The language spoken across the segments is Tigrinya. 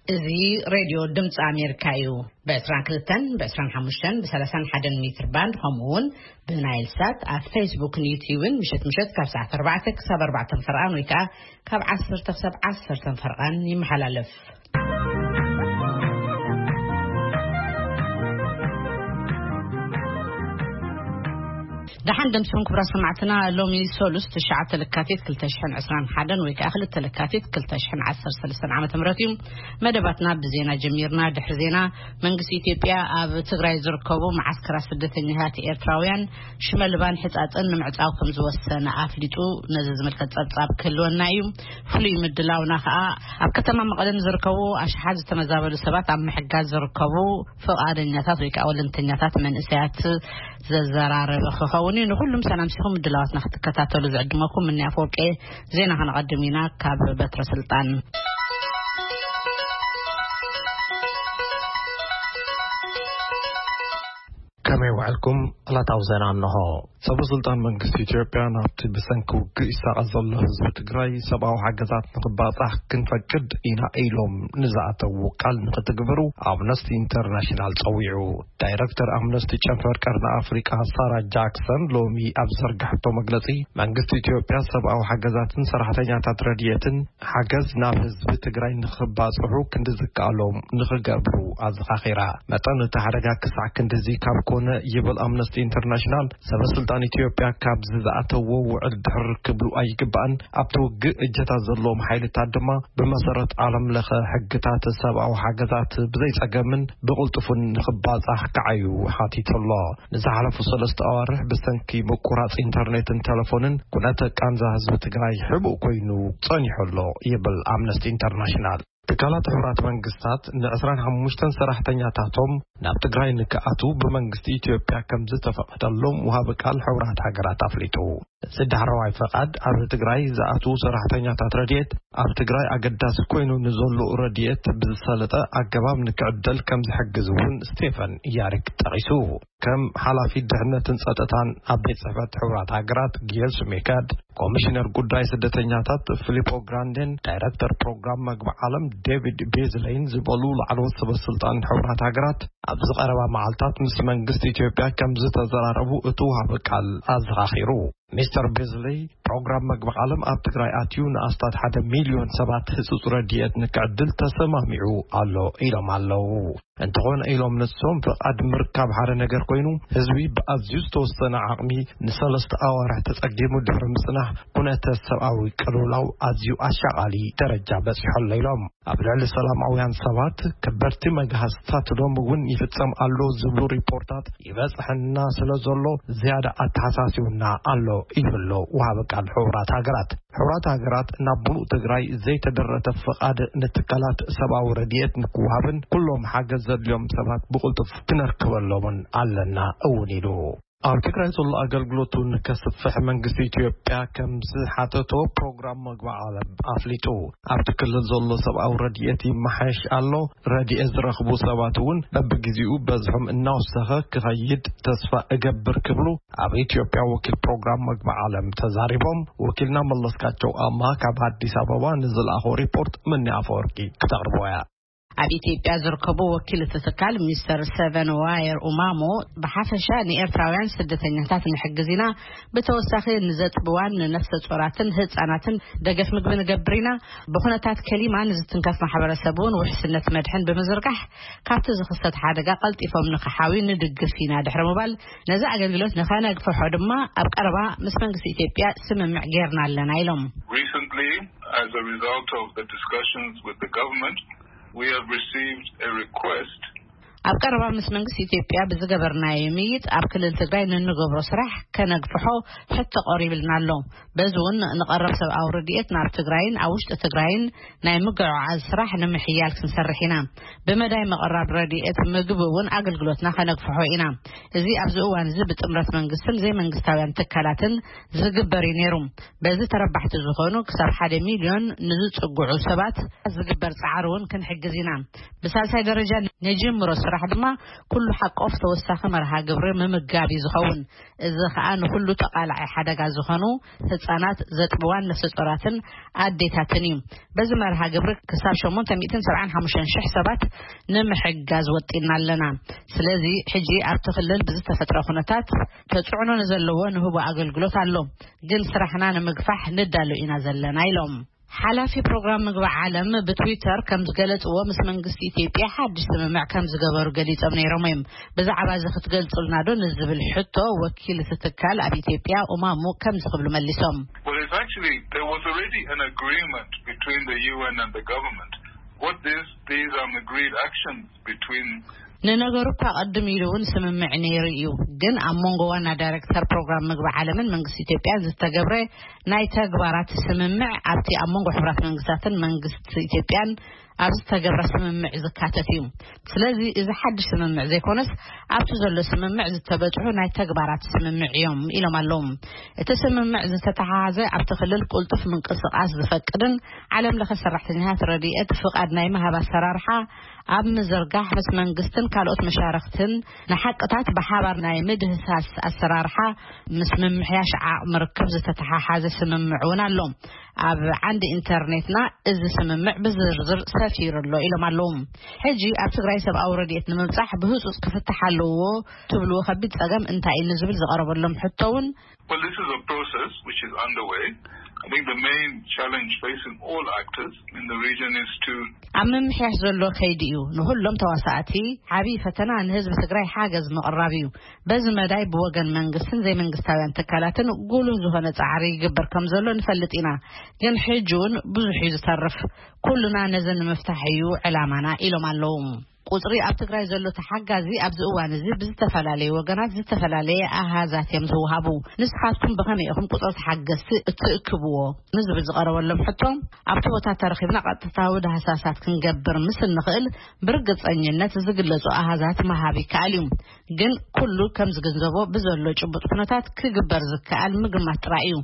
እዚ ሬድዮ ድምፂ ኣሜሪካ እዩ። ብ22፣ ብ25፣ ብ31 ሜትር ባንድ፣ ከምኡ እውን ብናይል ሳት ኣብ ፌስቡክን ዩትዩብን ምሸት ምሸት ካብ ሰዓት ኣርባዕተ ክሳብ ኣርባዕተ ፈርቓን ወይ ከዓ ካብ ዓሰርተ ክሳብ ዓሰርተ ፈርቓን ይመሓላለፍ። ደሓን ደምስኹም ክቡራት ሰማዕትና። ሎሚ ሰሉስ ትሽዓተ ለካቲት ክልተ ሽሕን ዕስራን ሓደን ወይ ከዓ ክልተ ለካቲት ክልተ ሽሕን ዓሰርተ ሰለስተን ዓመተ ምህረት እዩ። መደባትና ብዜና ጀሚርና። ድሕሪ ዜና፣ መንግስቲ ኢትዮጵያ ኣብ ትግራይ ዝርከቡ መዓስከራት ስደተኛታት ኤርትራውያን ሽመልባን ሕጻጽን ንምዕጻው ከም ዝወሰነ ኣፍሊጡ። ነዚ ዝምልከት ጸብጻብ ክህልወና እዩ። ፍሉይ ምድላውና ከዓ ኣብ ከተማ መቐለ ንዝርከቡ ኣሽሓት ዝተመዛበሉ ሰባት ኣብ ምሕጋዝ ዝርከቡ ፍቓደኛታት ወይ ከዓ ወለንተኛታት መንእሰያት ዘዘራረበ ክኸውን እዩ። ንኩሉም ሰላም ሲኹም ምድላዋትና ክትከታተሉ ዝዕድመኩም ምኒ ኣፈወርቂ። ዜና ከነቐድም ኢና ካብ በትረ ስልጣን። ከመይ ውዕልኩም? ዕለታዊ ዜና እንሆ። ሰበ ስልጣን መንግስቲ ኢትዮጵያ ናብቲ ብሰንኪ ውግእ ይሳቐ ዘሎ ህዝቢ ትግራይ ሰብኣዊ ሓገዛት ንኽባጻሕ ክንፈቅድ ኢና ኢሎም ንዝኣተዉ ቃል ንኽትግብሩ ኣምነስቲ ኢንተርናሽናል ጸዊዑ። ዳይረክተር ኣምነስቲ ጨንፈር ቀርኒ ኣፍሪቃ ሳራ ጃክሰን ሎሚ ኣብ ዘርጋሕቶ መግለጺ፣ መንግስቲ ኢትዮጵያ ሰብኣዊ ሓገዛትን ሰራሕተኛታት ረድኤትን ሓገዝ ናብ ህዝቢ ትግራይ ንኽባጽሑ ክንዲ ዝከኣሎም ንኽገብሩ ኣዘኻኺራ። መጠን እቲ ሓደጋ ክሳዕ ክንድዚ ካብ ኮነ፣ ይብል ኣምነስቲ ኢንተርናሽናል፣ ሰበ ስልጣን ኢትዮጵያ ካብዚ ዝኣተዎ ውዕል ድሕር ክብሉ ኣይግባእን። ኣብቲ ውግእ እጀታት ዘለዎም ሓይልታት ድማ ብመሰረት ዓለም ለኸ ሕግታት ሰብኣዊ ሓገዛት ብዘይጸገምን ብቕልጡፍን ንኽባጻሕ ክዓዩ ሓቲቱ ኣሎ። ንዝሓለፉ ሰለስተ ኣዋርሕ ብሰንኪ ምቁራጽ ኢንተርኔትን ቴሌፎንን ኩነተ ቃንዛ ህዝቢ ትግራይ ሕቡእ ኮይኑ ጸኒሑ ኣሎ፣ ይብል ኣምነስቲ ኢንተርናሽናል። ትካላት ሕቡራት መንግስታት ን25 ሰራሕተኛታቶም ናብ ትግራይ ንክኣትዉ ብመንግስቲ ኢትዮጵያ ከም ዝተፈቐደሎም ወሃቢ ቃል ሕቡራት ሃገራት ኣፍሊጡ። እዚ ዳሕረዋይ ፈቓድ ኣብ ትግራይ ዝኣትዉ ሰራሕተኛታት ረድኤት ኣብ ትግራይ ኣገዳሲ ኮይኑ ንዘሎ ረድኤት ብዝሰለጠ ኣገባብ ንክዕደል ከም ዝሕግዝ እውን ስቴፈን ያሪክ ጠቒሱ። ከም ሓላፊ ድሕነትን ጸጥታን ኣብ ቤት ጽሕፈት ሕቡራት ሃገራት ጊየል ሱሜካድ፣ ኮሚሽነር ጉዳይ ስደተኛታት ፊሊፖ ግራንዴን ዳይረክተር ፕሮግራም መግቢ ዓለም ዴቪድ ቤዝሌይን ዝበሉ ላዕለዎት ሰበ ስልጣን ሕቡራት ሃገራት ኣብዚ ቀረባ መዓልታት ምስ መንግስቲ ኢትዮጵያ ከም ዝተዘራረቡ እቲ ወሃቢ ቃል ኣዘኻኺሩ። ሚስተር ቤዝሌይ፣ ፕሮግራም መግቢ ዓለም ኣብ ትግራይ ኣትዩ ንኣስታት ሓደ ሚልዮን ሰባት ህጹጽ ረድኤት ንክዕድል ተሰማሚዑ ኣሎ ኢሎም ኣለዉ። እንተኾነ ኢሎም ንሶም፣ ፍቓድ ምርካብ ሓደ ነገር ኮይኑ፣ ህዝቢ ብኣዝዩ ዝተወሰነ ዓቕሚ ንሰለስተ ኣዋርሕ ተጸጊሙ ድሕሪ ምጽናሕ፣ ኩነተ ሰብኣዊ ቅልውላው ኣዝዩ ኣሻቓሊ ደረጃ በጺሑ ኣሎ ኢሎም። ኣብ ልዕሊ ሰላማውያን ሰባት ከበድቲ መግሃስታት ሎም እውን ይፍጸም ኣሎ ዝብሉ ሪፖርታት ይበጽሐና ስለ ዘሎ፣ ዝያዳ ኣተሓሳሲቡና ኣሎ ይብሎ ወሃቢ ቃል ሕቡራት ሃገራት። ሕቡራት ሃገራት ናብ ምሉእ ትግራይ ዘይተደረተ ፍቓድ ንትካላት ሰብኣዊ ረድኤት ንክወሃብን ኩሎም ሓገዝ ዘድልዮም ሰባት ብቕልጡፍ ክነርክበሎምን ኣለና እውን ኢሉ። ኣብ ትግራይ ዘሎ ኣገልግሎቱ ንከስፍሕ መንግስቲ ኢትዮጵያ ከም ዝሓተቶ ፕሮግራም መግቢ ዓለም ኣፍሊጡ። ኣብቲ ክልል ዘሎ ሰብኣዊ ረድኤት ይመሓየሽ ኣሎ፣ ረድኤት ዝረኽቡ ሰባት እውን በብግዜኡ በዝሖም እናወሰኸ ክኸይድ ተስፋ እገብር ክብሉ ኣብ ኢትዮጵያ ወኪል ፕሮግራም መግቢ ዓለም ተዛሪቦም። ወኪልና መለስካቸው ኣማ ካብ ኣዲስ ኣበባ ንዝለኣኾ ሪፖርት ምኒ ኣፈወርቂ ክተቕርቦ እያ። ኣብ ኢትዮጵያ ዝርከቡ ወኪል እቲ ትካል ሚስተር ሰቨን ዋየር ኡማሞ፣ ብሓፈሻ ንኤርትራውያን ስደተኛታት ንሕግዝ ኢና። ብተወሳኺ ንዘጥብዋን ንነፍሰ ጾራትን ህጻናትን ደገፍ ምግቢ ንገብር ኢና። ብኹነታት ከሊማ ንዝትንከፍ ማሕበረሰብ እውን ውሕስነት መድሕን ብምዝርጋሕ ካብቲ ዝኽሰት ሓደጋ ቀልጢፎም ንክሓውዩ ንድግፍ ኢና ድሕሪ ምባል፣ ነዚ ኣገልግሎት ንኸነግፍሖ ድማ ኣብ ቀረባ ምስ መንግስቲ ኢትዮጵያ ስምምዕ ጌርና ኣለና ኢሎም። Recently, as a result of the discussions with the government, we have received a request ኣብ ቀረባ ምስ መንግስቲ ኢትዮጵያ ብዝገበርናዮ ምይይጥ ኣብ ክልል ትግራይ ንንገብሮ ስራሕ ከነግፍሖ ሕቶ ቀሪብልና ኣሎ። በዚ እውን ንቐረብ ሰብኣዊ ረድኤት ናብ ትግራይን ኣብ ውሽጢ ትግራይን ናይ ምግዕዓዝ ስራሕ ንምሕያል ክንሰርሕ ኢና። ብመዳይ ምቕራብ ረድኤት ምግቢ እውን ኣገልግሎትና ከነግፍሖ ኢና። እዚ ኣብዚ እዋን እዚ ብጥምረት መንግስትን ዘይመንግስታውያን ትካላትን ዝግበር እዩ ነይሩ። በዚ ተረባሕቲ ዝኾኑ ክሳብ ሓደ ሚልዮን ንዝጽግዑ ሰባት ዝግበር ጻዕሪ እውን ክንሕግዝ ኢና። ብሳልሳይ ደረጃ ንጅምሮ ስራሕ ድማ ኩሉ ሓቆፍ ተወሳኺ መርሃ ግብሪ ምምጋብ እዩ ዝኸውን። እዚ ኸኣ ንኹሉ ተቓላዒ ሓደጋ ዝኾኑ ህጻናት፣ ዘጥብዋን ነፍሰ ጾራትን ኣዴታትን እዩ። በዚ መርሃ ግብሪ ክሳብ ሸሞንተ ሚእትን ሰብዓን ሓሙሽተን ሽሕ ሰባት ንምሕጋዝ ወጢና ኣለና። ስለዚ ሕጂ ኣብቲ ክልል ብዝተፈጥረ ኩነታት ተጽዕኖ ንዘለዎ ንህቦ ኣገልግሎት ኣሎ፣ ግን ስራሕና ንምግፋሕ ንዳሎ ኢና ዘለና ኢሎም። ሓላፊ ፕሮግራም ምግቢ ዓለም ብትዊተር ከም ዝገለጽዎ፣ ምስ መንግስቲ ኢትዮጵያ ሓድሽ ስምምዕ ከም ዝገበሩ ገሊጾም ነይሮም እዮም። ብዛዕባ እዚ ክትገልጹልና ዶ ንዝብል ሕቶ፣ ወኪል እቲ ትካል ኣብ ኢትዮጵያ ኡማሙ ከምዚ ክብሉ መሊሶም። Well, it's actually, there was already an agreement between the U N and the government. What this, these are agreed actions between ንነገሩ እኳ ቅድም ኢሉ እውን ስምምዕ ነይሩ እዩ፣ ግን ኣብ መንጎ ዋና ዳይሬክተር ፕሮግራም ምግቢ ዓለምን መንግስቲ ኢትዮጵያን ዝተገብረ ናይ ተግባራት ስምምዕ ኣብቲ ኣብ መንጎ ሕብራት መንግስታትን መንግስቲ ኢትዮጵያን ኣብ ዝተገብረ ስምምዕ ዝካተት እዩ። ስለዚ እዚ ሓድሽ ስምምዕ ዘይኮነስ፣ ኣብቲ ዘሎ ስምምዕ ዝተበጽሑ ናይ ተግባራት ስምምዕ እዮም ኢሎም ኣለዉ። እቲ ስምምዕ ዝተተሓሓዘ ኣብቲ ክልል ቅልጡፍ ምንቅስቓስ ዝፈቅድን ዓለም ለኸ ሰራሕተኛታት ረድኤት ፍቓድ ናይ ምሃብ ኣሰራርሓ ኣብ ምዝርጋሕ ምስ መንግስትን ካልኦት መሻርክትን ንሓቅታት ብሓባር ናይ ምድህሳስ ኣሰራርሓ ምስ ምምሕያሽ ዓቕሚ ርክብ ዝተተሓሓዘ ስምምዕ እውን ኣሎ። ኣብ ዓንዲ ኢንተርኔትና እዚ ስምምዕ ብዝርዝር ሰፊሩ ኣሎ ኢሎም ኣለዉ። ሕጂ ኣብ ትግራይ ሰብኣዊ ረድኤት ንምብጻሕ ብህጹጽ ክፍትሕ ኣለዎ ትብልዎ ከቢድ ጸገም እንታይ እዩ ንዝብል ዝቐረበሎም ሕቶ እውን Well, this is a process which is underway. I think the main challenge facing all actors in the region is to ኣብ ምምሕያሽ ዘሎ ከይዲ እዩ። ንኹሎም ተዋሳእቲ ዓብዪ ፈተና ንህዝቢ ትግራይ ሓገዝ ምቕራብ እዩ። በዚ መዳይ ብወገን መንግስትን ዘይመንግስታውያን ትካላትን ጉሉህ ዝኾነ ጻዕሪ ይግበር ከም ዘሎ ንፈልጥ ኢና። ግን ሕጂ እውን ብዙሕ እዩ ዝተርፍ። ኩልና ነዚ ንምፍታሕ እዩ ዕላማና ኢሎም ኣለዉ። ቁጽሪ ኣብ ትግራይ ዘሎ ተሓጋዚ ኣብዚ እዋን እዚ ብዝተፈላለዩ ወገናት ዝተፈላለየ ኣሃዛት እዮም ዝወሃቡ። ንስኻትኩም ብኸመይ ኢኹም ቁጽሪ ተሓገዝቲ እትእክብዎ ንዝብል ዝቐረበሎም ሕቶ፣ ኣብቲ ቦታ ተረኺብና ቀጥታዊ ዳህሳሳት ክንገብር ምስ እንኽእል ብርግጸኝነት ዝግለጹ ኣሃዛት ምሃብ ይከኣል እዩ። ግን ኩሉ ከም ዝግንዘቦ ብዘሎ ጭቡጥ ኩነታት ክግበር ዝከኣል ምግማት ጥራይ እዩ።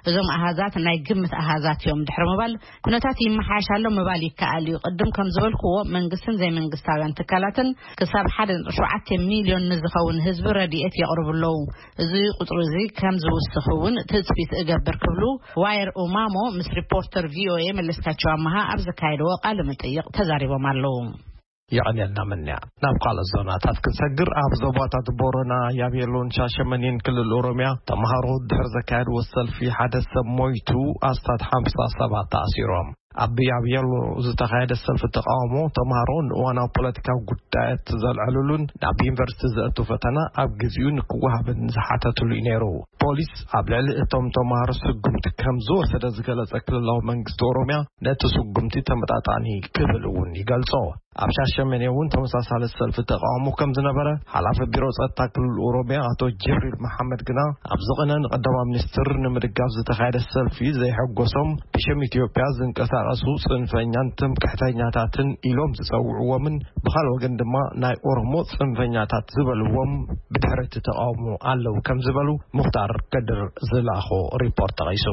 እዞም ኣሃዛት ናይ ግምት ኣሃዛት እዮም ድሕሪ ምባል ኩነታት ይመሓየሽ ኣሎ ምባል ይከኣል እዩ። ቅድም ከም ዝበልክዎ መንግስትን ዘይመንግስታውያን ትካላትን ክሳብ ሓደ ነጥቢ ሸውዓተ ሚልዮን ንዝኸውን ህዝቢ ረድኤት የቕርቡ ኣለዉ። እዚ ቁጽሪ እዚ ከም ዝውስኽ እውን ትጽቢት እገብር ክብሉ ዋየር ኡማሞ ምስ ሪፖርተር ቪኦኤ መለስካቸው ኣመሃ ኣብ ዘካየድዎ ቃለ መጠይቕ ተዛሪቦም ኣለዉ። የቐንየልና ምንያ። ናብ ካልኦት ዞናታት ክንሰግር፣ ኣብ ዞባታት ቦረና፣ ያቤሎን ሻሸመኔን ክልል ኦሮሚያ ተምሃሮ ድሕሪ ዘካየድዎ ሰልፊ ሓደ ሰብ ሞይቱ፣ ኣስታት ሓምሳ ሰባት ተኣሲሮም። ኣብ ያቤሎ ዝተኻየደ ሰልፊ ተቃውሞ ተምሃሮ ንእዋናዊ ፖለቲካዊ ጉዳያት ዘልዐሉሉን ናብ ዩኒቨርሲቲ ዘእቱ ፈተና ኣብ ግዚኡ ንክወሃብን ዝሓተትሉ እዩ ነይሩ። ፖሊስ ኣብ ልዕሊ እቶም ተምሃሮ ስጉምቲ ከም ዝወሰደ ዝገለጸ ክልላዊ መንግስቲ ኦሮሚያ፣ ነቲ ስጉምቲ ተመጣጣኒ ክብል እውን ይገልጾ። ኣብ ሻሸመኔ እውን ተመሳሳሊ ሰልፊ ተቃውሞ ከም ዝነበረ ሓላፊ ቢሮ ጸጥታ ክልል ኦሮሚያ ኣቶ ጅብሪል መሓመድ ግና፣ ኣብዚ ቅነ ንቀዳማይ ሚኒስትር ንምድጋፍ ዝተኻየደ ሰልፊ ዘይሐጎሶም፣ ብሽም ኢትዮጵያ ዝንቀሳቐሱ ጽንፈኛን ትምክሕተኛታትን ኢሎም ዝጸውዕዎምን ብኻልእ ወገን ድማ ናይ ኦሮሞ ጽንፈኛታት ዝበልዎም ብድሕሪ እቲ ተቃውሞ ኣለዉ ከም ዝበሉ ሙኽታር ከድር ዝለኣኾ ሪፖርት ጠቒሱ።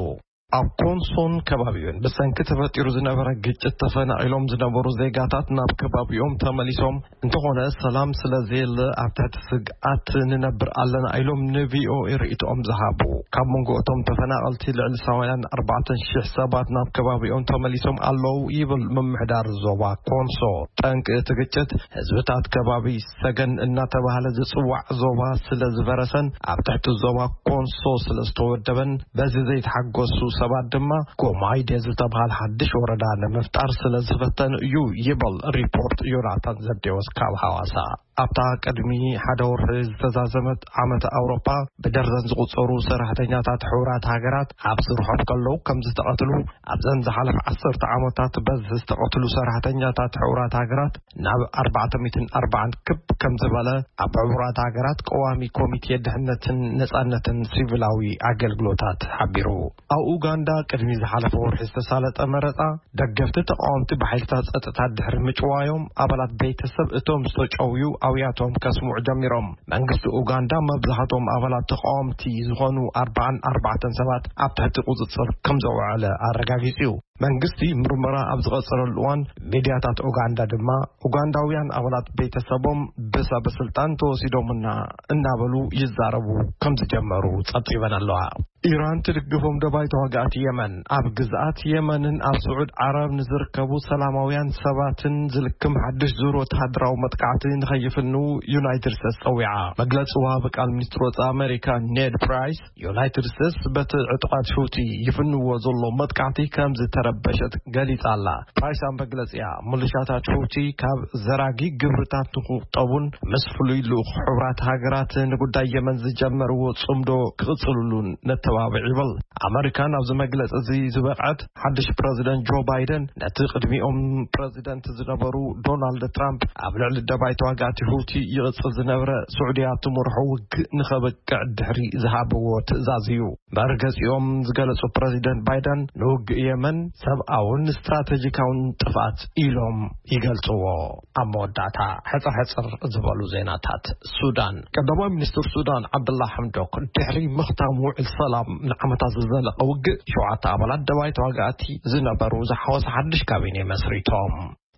ኣብ ኮንሶን ከባቢኡን ብሰንኪ ተፈጢሩ ዝነበረ ግጭት ተፈናቒሎም ዝነበሩ ዜጋታት ናብ ከባቢኦም ተመሊሶም፣ እንተኾነ ሰላም ስለ ዘየለ ኣብ ትሕቲ ስግኣት ንነብር ኣለና ኢሎም ንቪኦኤ ርእይቶኦም ዝሃቡ። ካብ መንጎ እቶም ተፈናቐልቲ ልዕሊ ሰማንያን ኣርባዕተን ሽሕ ሰባት ናብ ከባቢኦም ተመሊሶም ኣለዉ ይብል ምምሕዳር ዞባ ኮንሶ። ጠንቂ እቲ ግጭት ህዝብታት ከባቢ ሰገን እናተባህለ ዝጽዋዕ ዞባ ስለ ዝፈረሰን ኣብ ትሕቲ ዞባ ኮንሶ ስለ ዝተወደበን፣ በዚ ዘይተሓጎሱ ሰባት ድማ ጎማይዴ ዝተባህለ ሓድሽ ወረዳ ንምፍጣር ስለ ዝፈተኑ እዩ ይብል ሪፖርት ዮናታን ዘብዴዎስ ካብ ሓዋሳ። ኣብታ ቅድሚ ሓደ ወርሒ ዝተዛዘመት ዓመት ኣውሮፓ ብደርዘን ዝቑጸሩ ሰራሕተኛታት ሕቡራት ሃገራት ኣብ ስርሖም ከለዉ ከም ዝተቐትሉ፣ ኣብዘን ዝሓለፈ ዓሰርተ ዓመታት በዝሒ ዝተቐትሉ ሰራሕተኛታት ሕቡራት ሃገራት ናብ ኣርባዕተ ሚእትን ኣርባዓን ክብ ከም ዝበለ ኣብ ሕቡራት ሃገራት ቀዋሚ ኮሚቴ ድሕነትን ነጻነትን ሲቪላዊ ኣገልግሎታት ሓቢሩ። ኣብ ኡጋንዳ ቅድሚ ዝሓለፈ ወርሒ ዝተሳለጠ መረጻ ደገፍቲ ተቃወምቲ ብሓይልታት ጸጥታ ድሕሪ ምጭዋዮም ኣባላት ቤተሰብ እቶም ዝተጨውዩ ኣውያቶም ከስምዑ ጀሚሮም። መንግስቲ ኡጋንዳ መብዛሕትኦም ኣባላት ተቃወምቲ ዝኾኑ ኣርባዓን ኣርባዕተን ሰባት ኣብ ትሕቲ ቁጽጽር ከም ዘውዓለ ኣረጋጊጹ እዩ። መንግስቲ ምርመራ ኣብ ዝቐጸለሉ እዋን፣ ሚድያታት ኡጋንዳ ድማ፣ ኡጋንዳውያን ኣባላት ቤተሰቦም ብሰበ ስልጣን ተወሲዶምና እናበሉ ይዛረቡ ከም ዝጀመሩ ጸብጺበን ኣለዋ። ኢራን ትድግፎም ደባይ ተዋጋእቲ የመን፣ ኣብ ግዝኣት የመንን ኣብ ስዑድ ዓረብ ንዝርከቡ ሰላማውያን ሰባትን ዝልክም ሓድሽ ዙር ወተሃደራዊ መጥቃዕቲ ንኸይፍንዉ ዩናይትድ ስቴትስ ጸዊዓ። መግለጺ ወሃቢ ቃል ሚኒስትር ወጻኢ ኣሜሪካ ኔድ ፕራይስ፣ ዩናይትድ ስቴትስ በቲ ዕጡቓት ሑቲ ይፍንዎ ዘሎ መጥቃዕቲ ከም ዝተረበሸት ገሊጻ ኣላ። ፕራይስ ኣብ መግለጺኣ፣ ምልሻታት ሑቲ ካብ ዘራጊ ግብርታት ንክቑጠቡን ምስ ፍሉይ ልኡኽ ሕቡራት ሃገራት ንጉዳይ የመን ዝጀመርዎ ጽምዶ ክቕጽልሉን ነተባብዕ ይብል። ኣመሪካ ናብዚ መግለጺ እዚ ዝበቕዐት ሓድሽ ፕረዚደንት ጆ ባይደን ነቲ ቅድሚኦም ፕረዚደንት ዝነበሩ ዶናልድ ትራምፕ ኣብ ልዕሊ ደባይ ተዋጋእቲ ሑቲ ይቕጽል ዝነበረ ስዑድያ ትመርሖ ውግእ ንኸበቅዕ ድሕሪ ዝሃብዎ ትእዛዝ እዩ። መርገጺኦም ዝገለጹ ፕረዚደንት ባይደን፣ ንውግእ የመን ሰብኣውን ስትራቴጂካውን ጥፍኣት ኢሎም ይገልጽዎ። ኣብ መወዳእታ፣ ሕጽር ሕጽር ዝበሉ ዜናታት። ሱዳን። ቀዳማይ ሚኒስትር ሱዳን ዓብደላ ሓምዶክ፣ ድሕሪ ምኽታም ውዕል ሰላም ንዓመታት ዝዘለቐ ውግእ፣ ሸውዓተ ኣባላት ደባይ ተዋጋእቲ ዝነበሩ ዝሓወሰ ሓድሽ ካቢኔ መስሪቶም።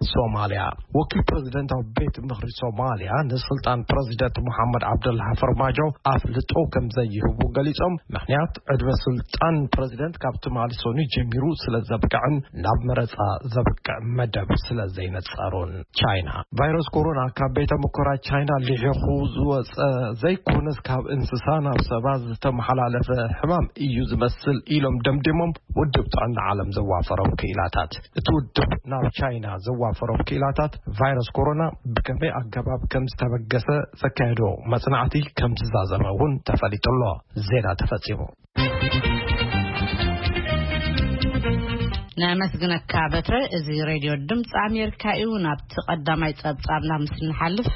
ሶማልያ። ወኪል ፕረዚደንታዊ ቤት ምኽሪ ሶማልያ ንስልጣን ፕረዚደንት መሓመድ ዓብደላ ፈርማጆ ኣፍልጦ ከም ዘይህቡ ገሊጾም፣ ምኽንያት ዕድመ ስልጣን ፕረዚደንት ካብ ትማሊ ሰኑይ ጀሚሩ ስለ ዘብቅዕን ናብ መረጻ ዘብቅዕ መደብ ስለ ዘይነጸሩን። ቻይና። ቫይረስ ኮሮና ካብ ቤተ ሙከራ ቻይና ሊሒኹ ዝወጸ ዘይኮነስ፣ ካብ እንስሳ ናብ ሰባት ዝተመሓላለፈ ሕማም እዩ ዝመስል ኢሎም ደምዲሞም፣ ውድብ ጥዕና ዓለም ዘዋፈሮም ክኢላታት። እቲ ውድብ ናብ ቻይና ዘዋፈሮም ክኢላታት፣ ቫይረስ ኮሮና ብከመይ ኣገባብ ከም ዝተበገሰ ዘካየዶ መጽናዕቲ ከም ዝዛዘመ እውን ተፈሊጡ ኣሎ። ዜና ተፈጺሙ። ነመስግነካ በትረ። እዚ ሬድዮ ድምፂ ኣሜሪካ እዩ። ናብቲ ቀዳማይ ጸብጻብና ምስ ንሓልፍ፣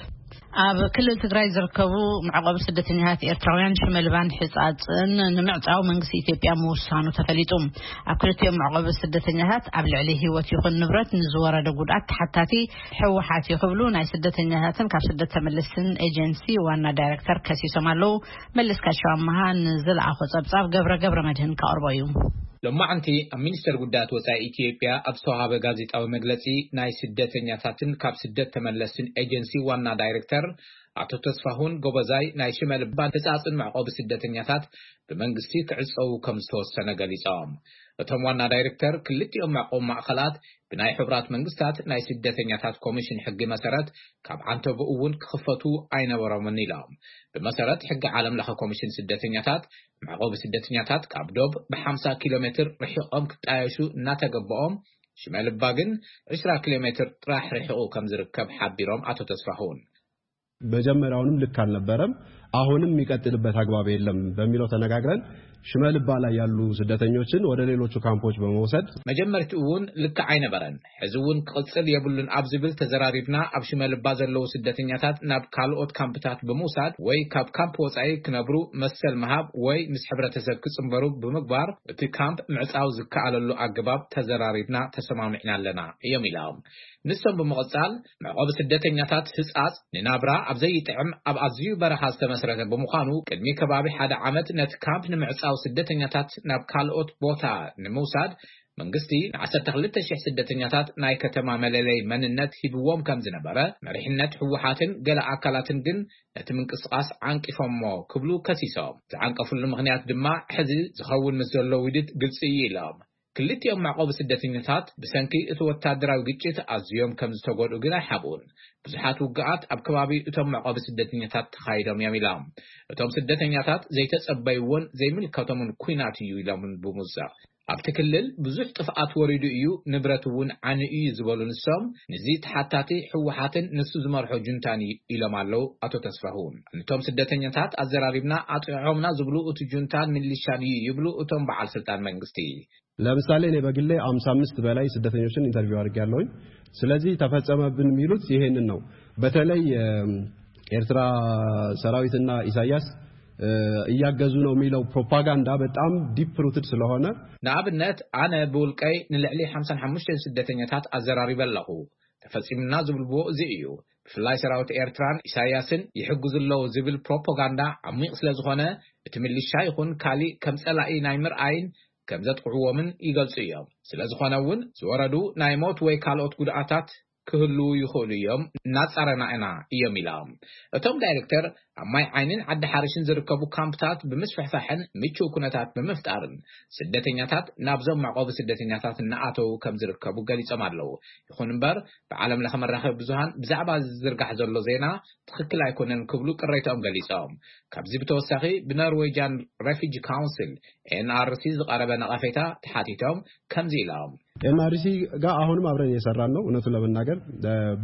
ኣብ ክልል ትግራይ ዝርከቡ መዕቆቢ ስደተኛታት ኤርትራውያን ሽመልባን ሕጻጽን ንምዕጻው መንግስቲ ኢትዮጵያ ምውሳኑ ተፈሊጡ። ኣብ ክልቲኦም መዕቆቢ ስደተኛታት ኣብ ልዕሊ ህይወት ይኹን ንብረት ንዝወረደ ጉድኣት ተሓታቲ ህወሓት እዩ ክብሉ ናይ ስደተኛታትን ካብ ስደት ተመለስትን ኤጀንሲ ዋና ዳይሬክተር ከሲሶም ኣለዉ። መለስካቸው ኣመሃ ንዝለኣኾ ጸብጻብ ገብረ ገብረ መድህን ከቕርቦ እዩ። ሎማዕንቲ ኣብ ሚኒስተር ጉዳያት ወጻኢ ኢትዮጵያ ኣብ ዝተዋሃበ ጋዜጣዊ መግለጺ፣ ናይ ስደተኛታትን ካብ ስደት ተመለስትን ኤጀንሲ ዋና ዳይሬክተር ኣቶ ተስፋሁን ጎበዛይ፣ ናይ ሽመልባን ሕጻጽን መዕቆቢ ስደተኛታት ብመንግስቲ ክዕጸዉ ከም ዝተወሰነ ገሊጾም። እቶም ዋና ዳይሬክተር፣ ክልቲኦም መዕቆቢ ማእከላት ብናይ ሕቡራት መንግስታት ናይ ስደተኛታት ኮሚሽን ሕጊ መሰረት ካብ ዓንተቦ እውን ክኽፈቱ ኣይነበሮምን ኢሎም። ብመሰረት ሕጊ ዓለም ለኸ ኮሚሽን ስደተኛታት፣ መዕቆቢ ስደተኛታት ካብ ዶብ ብ50 ኪሎ ሜትር ርሒቖም ክጣየሹ እናተገበኦም፣ ሽመልባ ግን 20 ኪሎ ሜትር ጥራሕ ርሒቑ ከም ዝርከብ ሓቢሮም ኣቶ ተስፋሁን። መጀመሪያውንም ልክ አልነበረም፣ አሁንም የሚቀጥልበት አግባብ የለም በሚለው ተነጋግረን ሽመልባ ላይ ያሉ ስደተኞችን ወደ ሌሎቹ ካምፖች በመውሰድ መጀመርትኡ እውን ልክዕ ኣይነበረን፣ ሕዚ እውን ክቕጽል የብሉን ኣብ ዝብል ተዘራሪብና፣ ኣብ ሽመልባ ዘለዉ ስደተኛታት ናብ ካልኦት ካምፕታት ብምውሳድ ወይ ካብ ካምፕ ወጻኢ ክነብሩ መሰል ምሃብ ወይ ምስ ሕብረተሰብ ክጽንበሩ ብምግባር፣ እቲ ካምፕ ምዕጻው ዝከኣለሉ ኣገባብ ተዘራሪብና ተሰማሚዕና ኣለና እዮም ኢሎም። ንሶም ብምቕጻል፣ መዕቆቢ ስደተኛታት ህጻጽ ንናብራ ኣብ ዘይጥዕም ኣብ ኣዝዩ በረኻ ዝተመስረተ ብምዃኑ፣ ቅድሚ ከባቢ ሓደ ዓመት ነቲ ካምፕ ንምዕጻው ስደተኛታት ናብ ካልኦት ቦታ ንምውሳድ መንግስቲ ን12,000 ስደተኛታት ናይ ከተማ መለለይ መንነት ሂብዎም ከም ዝነበረ መሪሕነት ህወሓትን ገለ ኣካላትን ግን ነቲ ምንቅስቓስ ዓንቂፎሞ ክብሉ ከሲሶም። ዝዓንቀፍሉ ምኽንያት ድማ ሕዚ ዝኸውን ምስ ዘሎ ውዲት ግልጺ እዩ ኢሎም። ክልቲኦም መዕቆቢ ስደተኛታት ብሰንኪ እቲ ወታደራዊ ግጭት ኣዝዮም ከም ዝተጎድኡ ግን ኣይሓብኡን። ብዙሓት ውግኣት ኣብ ከባቢ እቶም መዕቆቢ ስደተኛታት ተኻይዶም እዮም ኢሎም። እቶም ስደተኛታት ዘይተጸበይዎን ዘይምልከቶምን ኲናት እዩ ኢሎምን ብምውሳኽ፣ ኣብቲ ክልል ብዙሕ ጥፍኣት ወሪዱ እዩ፣ ንብረት እውን ዓኒ እዩ ዝበሉ ንሶም፣ ንዚ ተሓታቲ ህወሓትን ንሱ ዝመርሖ ጁንታን እዩ ኢሎም ኣለዉ ኣቶ ተስፋሁን። ንቶም ስደተኛታት ኣዘራሪብና ኣጥዕዖምና ዝብሉ እቲ ጁንታን ሚሊሻን እዩ ይብሉ እቶም በዓል ስልጣን መንግስቲ። ለምሳሌ እኔ በግሌ 55 በላይ ስደተኞችን ኢንተርቪው አድርጌያለሁኝ። ስለዚህ ተፈጸመብን የሚሉት ይሄንን ነው። በተለይ የኤርትራ ሰራዊትና ኢሳያስ እያገዙ ነው የሚለው ፕሮፓጋንዳ በጣም ዲፕ ሩትድ ስለሆነ ንኣብነት ኣነ ብውልቀይ ንልዕሊ 55 ስደተኛታት ኣዘራሪበ ኣለኹ። ተፈጺሙና ዝብልዎ እዚ እዩ። ብፍላይ ሰራዊት ኤርትራን ኢሳያስን ይሕግዙ ኣለዉ ዝብል ፕሮፓጋንዳ ዓሚቕ ስለ ዝኾነ፣ እቲ ሚሊሻ ይኹን ካሊእ ከም ጸላኢ ናይ ምርኣይን ከም ዘጥቅዕዎምን ይገልጹ እዮም። ስለ ዝኾነ እውን ዝወረዱ ናይ ሞት ወይ ካልኦት ጉድኣታት ክህልዉ ይኽእሉ እዮም፣ እናጻረና ኢና እዮም ኢሎም። እቶም ዳይሬክተር ኣብ ማይ ዓይንን ዓዲ ሓርሽን ዝርከቡ ካምፕታት ብምስፍሕፋሕን ምቹው ኩነታት ብምፍጣርን ስደተኛታት ናብዞም መዕቆቢ ስደተኛታት እናኣተዉ ከም ዝርከቡ ገሊጾም ኣለዉ። ይኹን እምበር ብዓለም ለኸ መራኸቢ ብዙሃን ብዛዕባ ዝዝርጋሕ ዘሎ ዜና ትኽክል ኣይኮነን ክብሉ ቅሬታኦም ገሊጾም። ካብዚ ብተወሳኺ ብኖርዌጃን ሬፊጂ ካውንስል ኤን ኣር ሲ ዝቐረበ ነቐፌታ ተሓቲቶም ከምዚ ኢሎም። ኤን ኣር ሲ ጋር አሁንም አብረን እየሰራን ነው። እውነቱን ለመናገር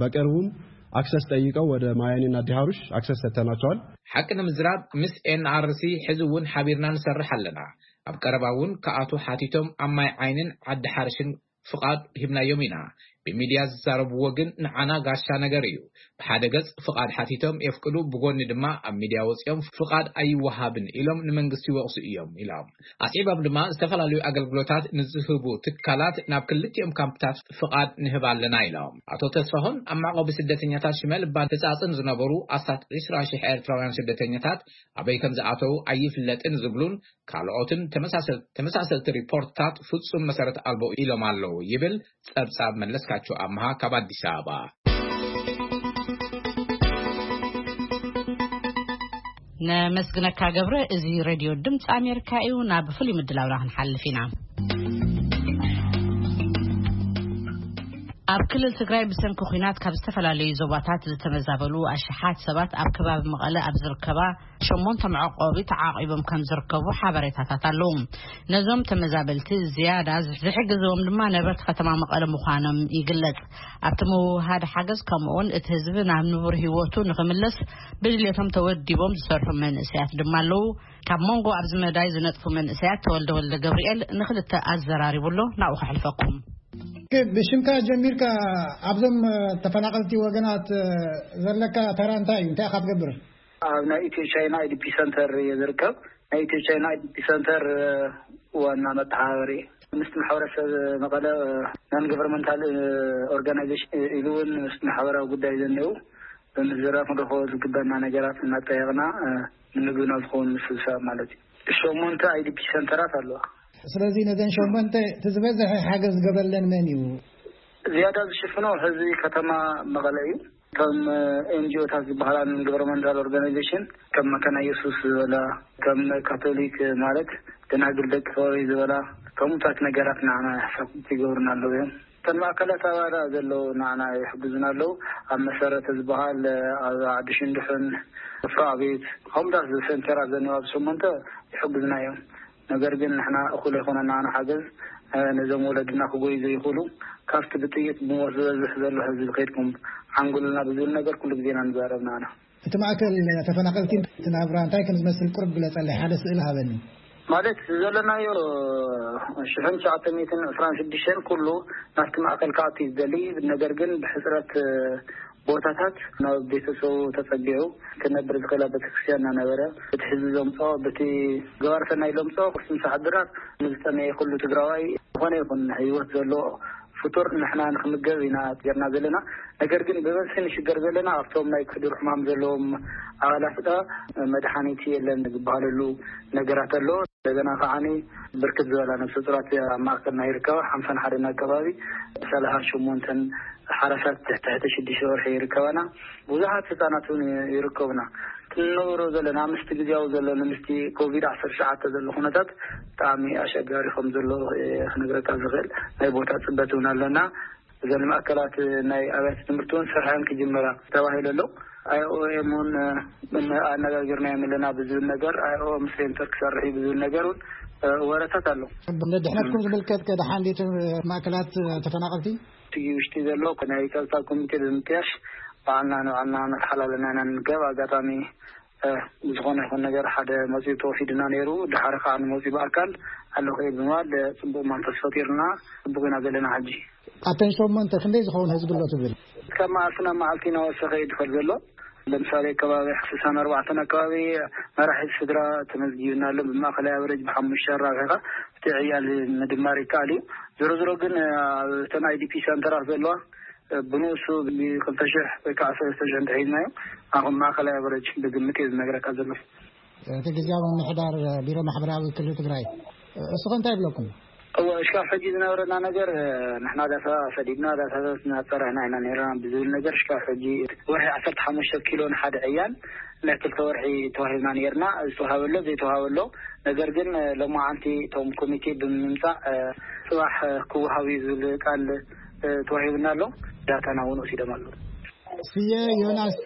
በቅርቡም አክሰስ ጠይቀው ወደ ማያኒና ዲሃሩሽ አክሰስ ሰጥተናቸዋል። ሓቂ ንምዝራብ ምስ ኤን ኣር ሲ ሕዚ እውን ሓቢርና ንሰርሕ ኣለና። ኣብ ቀረባ እውን ከኣቱ ሓቲቶም ኣብ ማይ ዓይንን ዓዲ ሓርሽን ፍቓድ ሂብናዮም ኢና። ብሚድያ ዝዛረብዎ ግን ንዓና ጋሻ ነገር እዩ። ብሓደ ገጽ ፍቓድ ሓቲቶም የፍቅዱ፣ ብጎኒ ድማ ኣብ ሚድያ ወጺኦም ፍቓድ ኣይወሃብን ኢሎም ንመንግስቲ ይወቕሱ እዮም ኢሎም። ኣስዒቦም ድማ ዝተፈላለዩ ኣገልግሎታት ንዝህቡ ትካላት ናብ ክልቲኦም ካምፕታት ፍቓድ ንህብ ኣለና ኢሎም። ኣቶ ተስፋሁን ኣብ መዕቆቢ ስደተኛታት ሽመል እባን ህጻጽን ዝነበሩ ኣስታት ዕስራ ሺሕ ኤርትራውያን ስደተኛታት ኣበይ ከም ዝኣተዉ ኣይፍለጥን ዝብሉን ካልኦትን ተመሳሰል-፣ ተመሳሰልቲ ሪፖርትታት ፍጹም መሰረት ኣልቦ ኢሎም ኣለዉ ይብል ጸብጻብ መለስካቸው ኣምሃ ካብ ኣዲስ ኣበባ። ነመስግነካ ገብረ። እዚ ሬድዮ ድምፂ ኣሜሪካ እዩ። ናብ ፍሉይ ምድላውና ክንሓልፍ ኢና። ኣብ ክልል ትግራይ ብሰንኪ ኲናት ካብ ዝተፈላለዩ ዞባታት ዝተመዛበሉ ኣሽሓት ሰባት ኣብ ከባቢ መቐለ ኣብ ዝርከባ ሸሞንተ መዕቆቢ ተዓቂቦም ከም ዝርከቡ ሓበሬታታት ኣለዉ። ነዞም ተመዛበልቲ ዝያዳ ዝሕግዝዎም ድማ ነበርቲ ከተማ መቐለ ምዃኖም ይግለጽ። ኣብቲ ምውሃድ ሓገዝ ከምኡውን እቲ ህዝቢ ናብ ንቡር ህይወቱ ንኽምለስ ብድልየቶም ተወዲቦም ዝሰርሑ መንእሰያት ድማ ኣለዉ። ካብ መንጎ ኣብዚ መዳይ ዝነጥፉ መንእሰያት ተወልደ ወልደ ገብርኤል ንኽልተ ኣዘራሪቡ ኣሎ። ናብኡ ከሕልፈኩም። ብሽምካ ጀሚርካ ኣብዞም ተፈናቐልቲ ወገናት ዘለካ ተራ እንታይ እዩ? እንታይ ኢኻ ትገብር? ኣብ ናይ ኢትዮ ቻይና ኣይ ዲ ፒ ሰንተር እየ ዝርከብ። ናይ ኢትዮ ቻይና ኣይ ዲ ፒ ሰንተር ዋና መተሓባበሪ ምስቲ ማሕበረሰብ መቐለ ናን ገቨርንመንታል ኦርጋናይዜሽን ኢሉ እውን ምስቲ ማሕበራዊ ጉዳይ ዘኒኡ ብምዝራብ ክንረኽቦ ዝግበና ነገራት እናጠየቕና ንምግብና ዝኸውን ምስብሳብ ማለት እዩ። ሸሞንተ ኣይ ዲ ፒ ሰንተራት ኣለዋ። ስለዚ ነዘን ሸሞንተ እቲ ዝበዝሐ ሓገዝ ዝገበረለን መን እዩ? ዝያዳ ዝሽፍኖ ህዝቢ ከተማ መቐለ እዩ። እቶም ኤን ጂ ኦታት ዝበሃላ ናን ገቨርንመንታል ኦርጋናይዜሽን ከም መካነ ኢየሱስ ዝበላ፣ ከም ካቶሊክ ማለት ደናግል ደቂ ፈውሪ ዝበላ፣ ከምኡታት ነገራት ንዓና ሕሳብ ይገብሩና ኣለዉ እዮም። እተን ማእከላት ኣባዳ ዘለዉ ንዓና ይሕግዙና ኣለዉ። ኣብ መሰረተ ዝበሃል፣ ኣብ ዓዲ ሽንድሕን፣ ወፍሪ ኣቤት፣ ከምኡታት ሰንተራት ዘለዋ ኣብ ሸሞንተ ይሕግዙና እዮም። ነገር ግን ንሕና እኹል ኣይኮነን ንዓና ሓገዝ፣ እ፣ ነዞም ወለድና ክጎዩ ዘይኽእሉ፣ ካብቲ ብጥይት ብሞት ዝበዝሕ ዘሎ ህዝቢ ከይድኩም ሓንጉሉልና ብዝብል ነገር ኩሉ ግዜ ኢና ንዛረብ ንዓና። እቲ ማእከል ተፈናቐልቲ እቲ ናብራ እንታይ ከም ዝመስል ቁሩብ ግለጸለይ፣ ሓደ ስእሊ ሃበኒ። ማለት ዘለናዮ ሽሕን ትሽዓተ ሚእትን ዕስራን ሽዱሽተን ኩሉ ናብቲ ማእከል ክኣቱ እዩ ዝደሊ፣ ነገር ግን ብሕጽረት ቦታታት ናብ ቤተሰቡ ተጸጊዑ ክነብር ዝኽእል ኣብ ቤተክርስትያን እናነበረ፣ እቲ ህዝቢ ዘምጽኦ፣ በቲ ገባር ሰናይ ዘምጽኦ ቅርሲ ምሳሕ ድራር ንዝጠመየ ኩሉ ትግራዋይ ዝኾነ ይኹን ህይወት ዘለዎ ፍጡር ንሕና ንክምገብ ኢና ጌርና ዘለና። ነገር ግን ብበዝሒ ንሽገር ዘለና ኣብቶም ናይ ክሕዱር ሕማም ዘለዎም ኣባላት ዳ መድሓኒት የለን ዝበሃለሉ ነገራት ኣሎ። እንደገና ከዓኒ ብርክት ዝበላ ነፍሰ ጡራት ኣብ ማእከልና ይርከባ። ሓምሳን ሓደን ኣከባቢ፣ ሰላሳን ሸሞንተን ሓራሳት ትሕቲ ሽዱሽተ ወርሒ ይርከባና። ብዙሓት ህጻናት እውን ይርከቡና። ክንነብሮ ዘለና ምስቲ ግዜያዊ ዘሎ ምስቲ ኮቪድ ዓሰርተ ትሽዓተ ዘሎ ኩነታት ብጣዕሚ ኣሸጋሪ ከም ዘሎ ክነግረካ ዝኽእል ናይ ቦታ ጽበት እውን ኣለና። እዘን ማእከላት ናይ ኣብያተ ትምህርቲ እውን ስርሐን ክጅመራ ተባሂሉ ኣሎ። ኣይ ኦ ኤም እውን ኣነጋጊርናዮም ኣለና ብዝብል ነገር፣ ኣይ ኦ ኤም ሴንተር ክሰርሕ እዩ ብዝብል ነገር እውን ወረታት ኣሎ። ንድሕነትኩም ዝምልከት ከ ደሓን ድዩ እቲ ማእከላት ተፈናቐልቲ? እቲ ውሽጢ ዘሎ ናይ ጸጥታ ኮሚቴ ብምጥያሽ ባዕልና ንባዕልና ነተሓላልና ኢና ንርከብ። ኣጋጣሚ፣ እ፣ ብዝኾነ ይኹን ነገር ሓደ መጺኡ ተወፊዱና ነይሩ። ድሓር ከኣ ንመጺኡ ብኣካል ኣለኹ እየ ብምባል፣ እ፣ ጽቡቕ መንፈስ ፈጢሩና፣ ጽቡቕ ኢና ዘለና ሕጂ። ኣተን ሸሞንተ ክንደይ ዝኸውን ህዝቢ ኣሎ ትብል? ካብ መዓልቲ ናብ መዓልቲ እናወሰኸ እዩ ዝኸድ ዘሎ። ለምሳሌ፣ ከባቢ ስሳን ኣርባዕተን ኣከባቢ መራሒ ስድራ ተመዝጊብና ኣሎ። ብማእኸላይ ኣቨሬጅ ብሓሙሽተ ኣራቢሕካ እቲ ዕያል ምድማር ይከኣል እዩ። ዞሮ ዞሮ ግን፣ ኣብ እተን ኣይ ዲ ፒ ሰንተራት ዘለዋ፣ ብንኡሱ ብክልተ ሽሕ ወይ ከዓ ሰለስተ ሽሕ እንተሒዝናዮ፣ ኣብ ማእኸላይ ኣቨሬጅ ብግምት እዩ ዝነግረካ ዘሎ። እቲ ግዝያዊ ምምሕዳር ቢሮ ማሕበራዊ ክልል ትግራይ እስኹም እንታይ ይብለኩም? እወ፣ እስካብ ሕጂ ዝነበረና ነገር፣ እ፣ ንሕና ዳሳ ሰዲድና፣ ዳሳታት እናፀራሕና ኢና ነይርና ብዝብል ነገር፣ እስካብ ሕጂ ወርሒ ዓሰርተ ሓሙሽተ ኪሎ ንሓደ ዕያን ናይ ክልተ ወርሒ ተዋሂብና ነይርና። ዝተዋሃበሎ ዘይተዋሃበሎ፣ ነገር ግን፣ እ፣ ሎማዓንቲ እቶም ኮሚቴ ብምምፃእ፣ እ፣ ፅባሕ፣ እ፣ ክወሃብ እዩ ዝብል ቃል፣ እ፣ ተዋሂብና ኣሎ። ዳታና እውን ወሲዶም ኣለዉ። ስየ ዮናስ፣